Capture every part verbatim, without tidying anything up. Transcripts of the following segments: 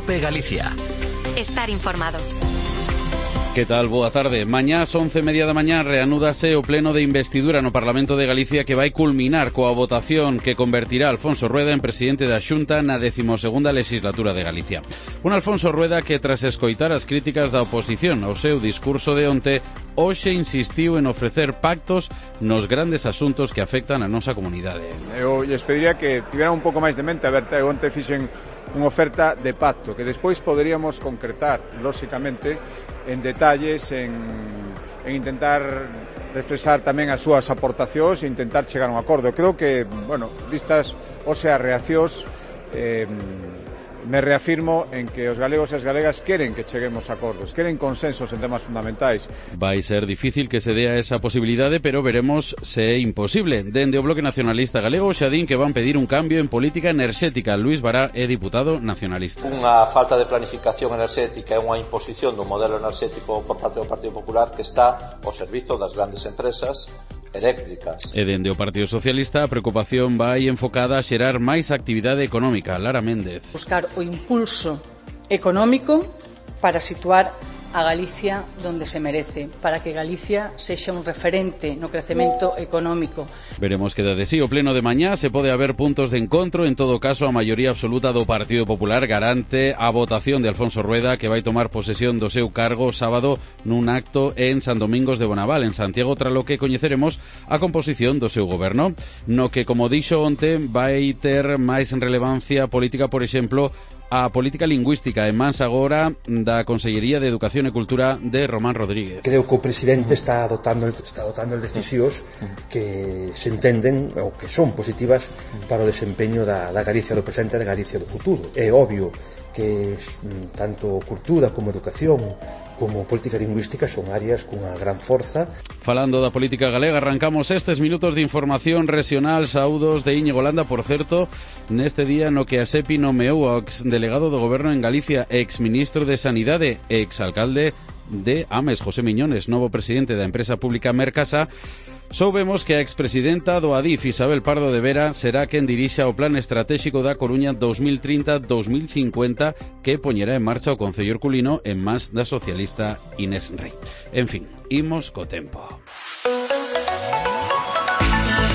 COPE Galicia. Estar informado. Que tal? Boa tarde. Mañá ás once e media da mañá reanúdase o pleno de investidura no Parlamento de Galicia que vai culminar coa votación que convertirá a Alfonso Rueda en presidente da Xunta na decimosegunda legislatura de Galicia. Un Alfonso Rueda que, tras escoitar as críticas da oposición ao seu discurso de onte, hoxe insistiu en ofrecer pactos nos grandes asuntos que afectan a nosa comunidade. Eu lles pediría que tiveran un pouco máis de mente aberta. Eu onte fixen unha oferta de pacto que despois poderíamos concretar, lóxicamente, en detalles, en, en intentar refrescar tamén as súas aportacións e intentar chegar a un acordo. Creo que, bueno, vistas hoxe as reaccións, eh, me reafirmo en que os galegos e as galegas queren que cheguemos a acordos, queren consensos en temas fundamentais. Vai ser difícil que se dea esa posibilidade, pero veremos se é imposible. Dende o Bloque Nacionalista Galego xa din que van pedir un cambio en política enerxética. Luís Bará é diputado nacionalista. Unha falta de planificación enerxética e unha imposición do modelo enerxético por parte do Partido Popular que está ao servizo das grandes empresas eléctricas. E dende o Partido Socialista a preocupación vai enfocada a xerar máis actividade económica. Lara Méndez. Buscar o impulso económico para situar a Galicia donde se merece, para que Galicia sexa un referente no crecemento económico. Veremos que desde sí o pleno de mañá se pode haber puntos de encontro. En todo caso, a maioría absoluta do Partido Popular garante a votación de Alfonso Rueda, que vai tomar posesión do seu cargo sábado nun acto en San Domingos de Bonaval, en Santiago, tras lo que coñeceremos a composición do seu goberno, no que, como dixo onte, vai ter máis relevancia política, por exemplo, a política lingüística en mans agora da Consellería de Educación e Cultura de Román Rodríguez. Creo que o presidente está adoptando está adoptando decisións que se entenden ou que son positivas para o desempeño da, da Galicia do presente e da Galicia do futuro. É obvio que tanto cultura como educación como política lingüística son áreas cunha gran forza. Falando da política galega, arrancamos estes minutos de información regional. Saúdos de Íñigo Landa, por certo, neste día no que a SEPI nomeou ao exdelegado do Goberno en Galicia, exministro de Sanidade e exalcalde de Ames, José Miñones, novo presidente da empresa pública Mercasa. Soubemos que a expresidenta do Adif, Isabel Pardo de Vera, será quen dirixa o Plan Estratégico da Coruña dos mil trinta a dos mil cincuenta que poñerá en marcha o Concello Herculino en mans da socialista Inés Rei. En fin, imos co tempo.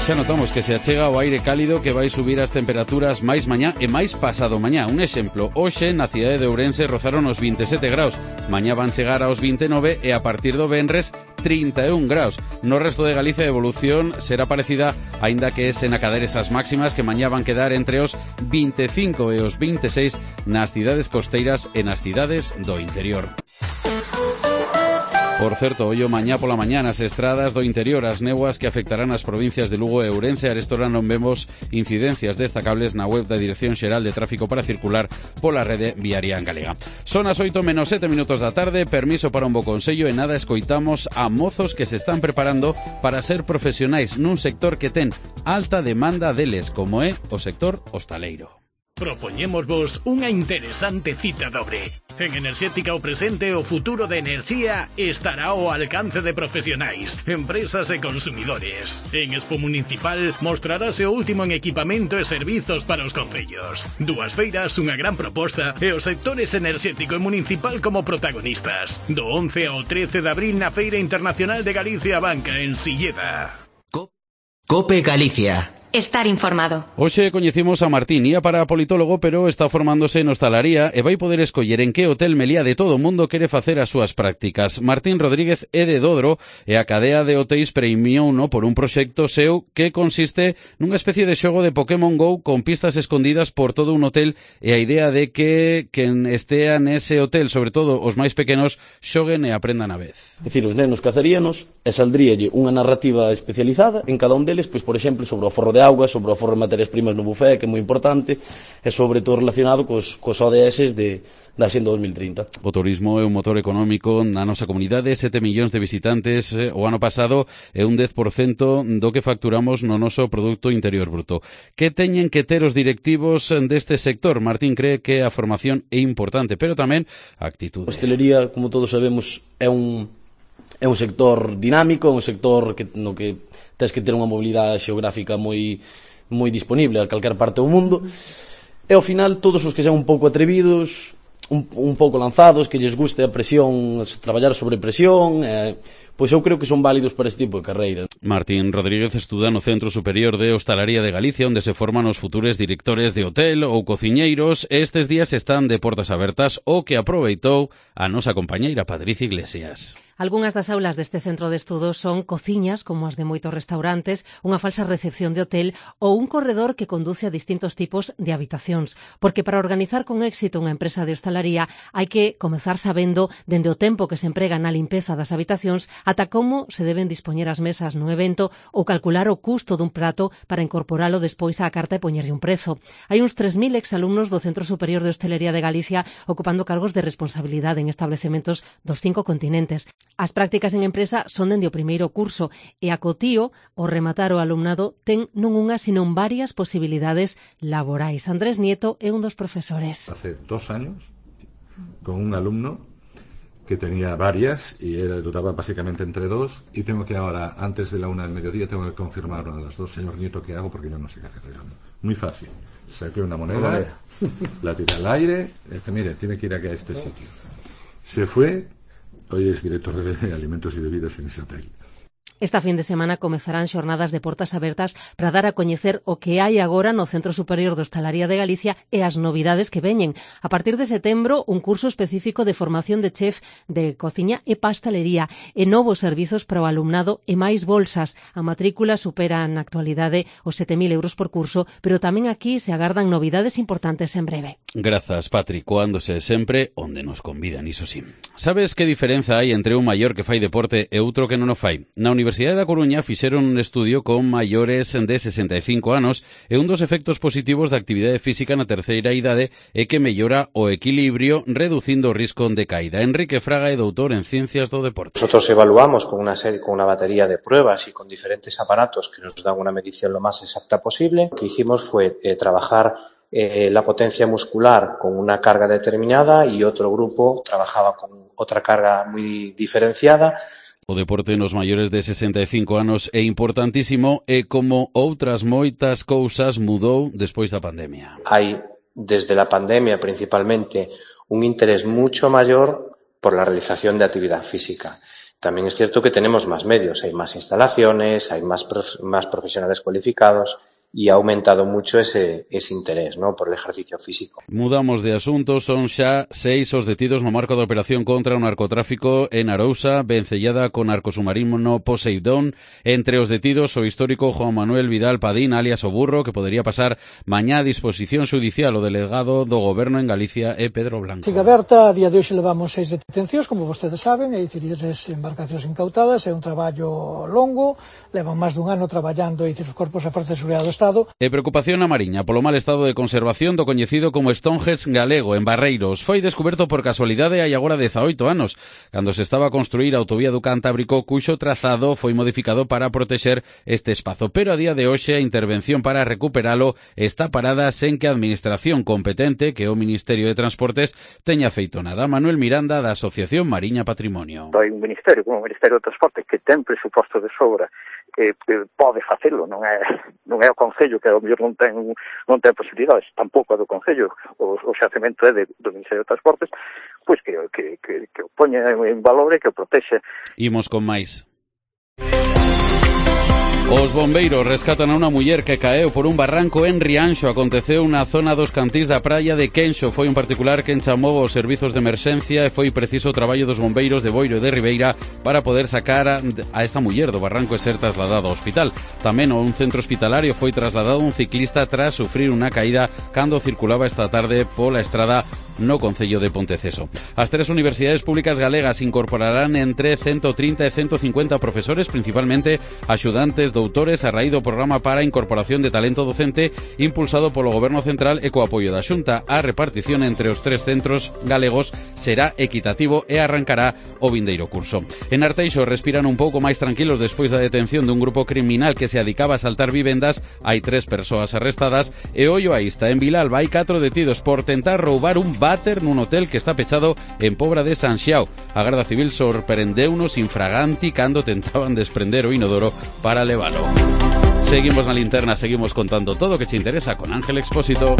Xa notamos que se achega o aire cálido que vai subir as temperaturas máis mañá e máis pasado mañá. Un exemplo, hoxe na cidade de Ourense rozaron os vinte e sete graus, mañá van chegar aos vinte e nove e a partir do venres trinta e un graus. No resto de Galicia a evolución será parecida, aínda que sen acader esas máximas que mañá van quedar entre os vinte e cinco e os vinte e seis nas cidades costeiras e nas cidades do interior. Por certo, ollo mañá pola mañá nas estradas do interior, as néboas que afectarán as provincias de Lugo e Ourense. A estora non vemos incidencias destacables na web da Dirección Xeral de Tráfico para circular pola rede viaria en galega. Son as oito menos sete minutos da tarde, permiso para un bo consello e nada escoitamos a mozos que se están preparando para ser profesionais nun sector que ten alta demanda deles, como é o sector hostaleiro. Propoñémosvos unha interesante cita dobre. En Enerxética o presente e o futuro da enerxía estará ao alcance de profesionais, empresas e consumidores. En Expo Municipal mostrarase o último en equipamento e servizos para os concellos. Dúas feiras, unha gran proposta e os sectores enerxético e municipal como protagonistas. Do once ao trece de abril na Feira Internacional de Galicia Banca en Silleda. COPE Galicia. Estar informado. Hoxe coñecimos a Martín, ía para politólogo, pero está formándose en hostalaría e vai poder escoller en que hotel Meliá de todo o mundo quere facer as súas prácticas. Martín Rodríguez é de Dodro e a cadea de hotéis premiouno por un proxecto seu que consiste nunha especie de xogo de Pokémon Go con pistas escondidas por todo un hotel e a idea de que quen estea nese hotel, sobre todo os máis pequenos, xoguen e aprendan a vez. É dicir, os nenos cazaríanos e saldríalle unha narrativa especializada en cada un deles, pois, por exemplo, sobre o forro de auga, sobre o forro de materias primas no buffet, que é moi importante, e sobre todo relacionado cos, cos O D S de, da Axenda dos mil trinta. O turismo é un motor económico na nosa comunidade, sete millóns de visitantes eh, o ano pasado é un dez por cento do que facturamos no noso Producto Interior Bruto. Que teñen que ter os directivos deste sector? Martín cree que a formación é importante, pero tamén a actitude. A hostelería, como todos sabemos, é un, é un sector dinámico, é un sector que, no que tens que ter unha mobilidade xeográfica moi, moi disponible a calquer parte do mundo, e ao final todos os que sean un pouco atrevidos un, un pouco lanzados, que lles guste a presión, traballar sobre presión, eh, pois eu creo que son válidos para este tipo de carreiras. Martín Rodríguez estuda no Centro Superior de Hostalaría de Galicia, onde se forman os futuros directores de hotel ou cociñeiros. Estes días están de portas abertas, o que aproveitou a nosa compañeira Patricia Iglesias. Algúnas das aulas deste centro de estudos son cociñas, como as de moitos restaurantes, unha falsa recepción de hotel ou un corredor que conduce a distintos tipos de habitacións. Porque para organizar con éxito unha empresa de hostalaría hai que comezar sabendo dende o tempo que se emprega na limpeza das habitacións ata como se deben dispoñer as mesas nun evento ou calcular o custo dun prato para incorporalo despois á carta e poñerlle un prezo. Hai uns tres mil exalumnos do Centro Superior de Hostelería de Galicia ocupando cargos de responsabilidade en establecementos dos cinco continentes. As prácticas en empresa son dende o primeiro curso e a cotío, ao rematar o alumnado, ten non unha, senón varias posibilidades laborais. Andrés Nieto é un dos profesores. Hace dos años, con un alumno que tenía varias y era, dudaba básicamente entre dos, y tengo que ahora, antes de la una del mediodía, tengo que confirmar una de las dos. Señor Nieto, ¿qué hago? Porque yo no sé qué hacer. Muy fácil. Saqué una moneda, la tiré al aire, y dije, mire, tiene que ir aquí a este sitio. Se fue. Hoy es director de Alimentos y Bebidas en ese hotel. Esta fin de semana comezarán xornadas de portas abertas para dar a coñecer o que hai agora no Centro Superior de Hostalaría de Galicia e as novidades que veñen. A partir de setembro, un curso específico de formación de chef de cociña e pastelería e novos servizos para o alumnado e máis bolsas. A matrícula supera na actualidade os sete mil euros por curso, pero tamén aquí se agardan novidades importantes en breve. Grazas, Patri, coándose sempre onde nos convidan, iso sí. Sabes que diferenza hai entre un maior que fai deporte e outro que non o fai? Na Universidade Universidade da Coruña fixeron un estudio con maiores de sesenta e cinco anos e un dos efectos positivos da actividade física na terceira idade é que mellora o equilibrio reducindo o risco de caída. Enrique Fraga é doutor en Ciencias do Deporte. Nosotros evaluamos con una serie, con una batería de pruebas y con diferentes aparatos que nos dan una medición lo más exacta posible. Lo que hicimos fue eh, trabajar eh, la potencia muscular con una carga determinada y otro grupo trabajaba con otra carga muy diferenciada. O deporte nos maiores de sesenta e cinco anos é importantísimo e como outras moitas cousas mudou despois da pandemia. Hai, desde la pandemia principalmente, un interés mucho mayor por la realización de actividad física. También es cierto que tenemos más medios, hay más instalaciones, hay más, prof- más profesionales cualificados y ha aumentado mucho ese, ese interés, ¿no?, por el ejercicio físico. Mudamos de asunto, son xa seis os detidos no marco da operación contra o narcotráfico en Arousa, vencellada con narcosubmarino Poseidón. Entre os detidos, o histórico Juan Manuel Vidal Padín, alias o Burro, que podería pasar mañá a disposición xudicial. O delegado do Goberno en Galicia é Pedro Blanco. Sigue aberta, a día de hoxe levamos seis detencións, como vostedes saben, é dicir, tres embarcacións incautadas, é un traballo longo, levan máis dun ano traballando, é dicir, os corpos de Forza de Seguridade do Estado. E preocupación na Mariña polo mal estado de conservación do coñecido como Stonehenge galego en Barreiros. Foi descoberto por casualidade hai agora dezaoito anos, cando se estaba a construir a autovía do Cantábrico, cuxo trazado foi modificado para protexer este espazo. Pero a día de hoxe a intervención para recuperalo está parada sen que a administración competente, que é o Ministerio de Transportes, teña feito nada. Manuel Miranda, da Asociación Mariña Patrimonio. Hai un ministerio, como o Ministerio de Transportes, que ten presuposto de sobra, que pode facelo, non é non é o Concello que ao mellor non ten non ten posibilidades, tampouco é do Concello, o, o xacemento é de, do Ministerio de Transportes, pois que, que, que, que o poña en valor e que o protexe. Imos con máis. Os bombeiros rescatan a unha muller que caeu por un barranco en Rianxo. Aconteceu na zona dos cantís da praia de Quenxo. Foi un particular quen chamou aos servizos de emerxencia e foi preciso o traballo dos bombeiros de Boiro e de Ribeira para poder sacar a, a esta muller do barranco e ser trasladada ao hospital. Tamén a un centro hospitalario foi trasladado un ciclista tras sufrir unha caída cando circulaba esta tarde pola estrada no Concello de Ponteceso. As tres universidades públicas galegas incorporarán entre ciento trinta e ciento cincuenta profesores, principalmente axudantes doutores, a raíz do programa para a incorporación de talento docente impulsado polo Goberno Central e co apoio da Xunta. A repartición entre os tres centros galegos será equitativo e arrancará o vindeiro curso. En Arteixo respiran un pouco máis tranquilos despois da detención dun grupo criminal que se adicaba a saltar vivendas. Hai tres persoas arrestadas e ollo a ista. En Vilalba hai catro detidos por tentar roubar un váter nun hotel que está pechado en Pobra de San Xiao. A Garda Civil sorprendeunos infraganti cando tentaban desprender o inodoro para levalo. Seguimos na linterna, seguimos contando todo o que te interesa con Ángel Expósito.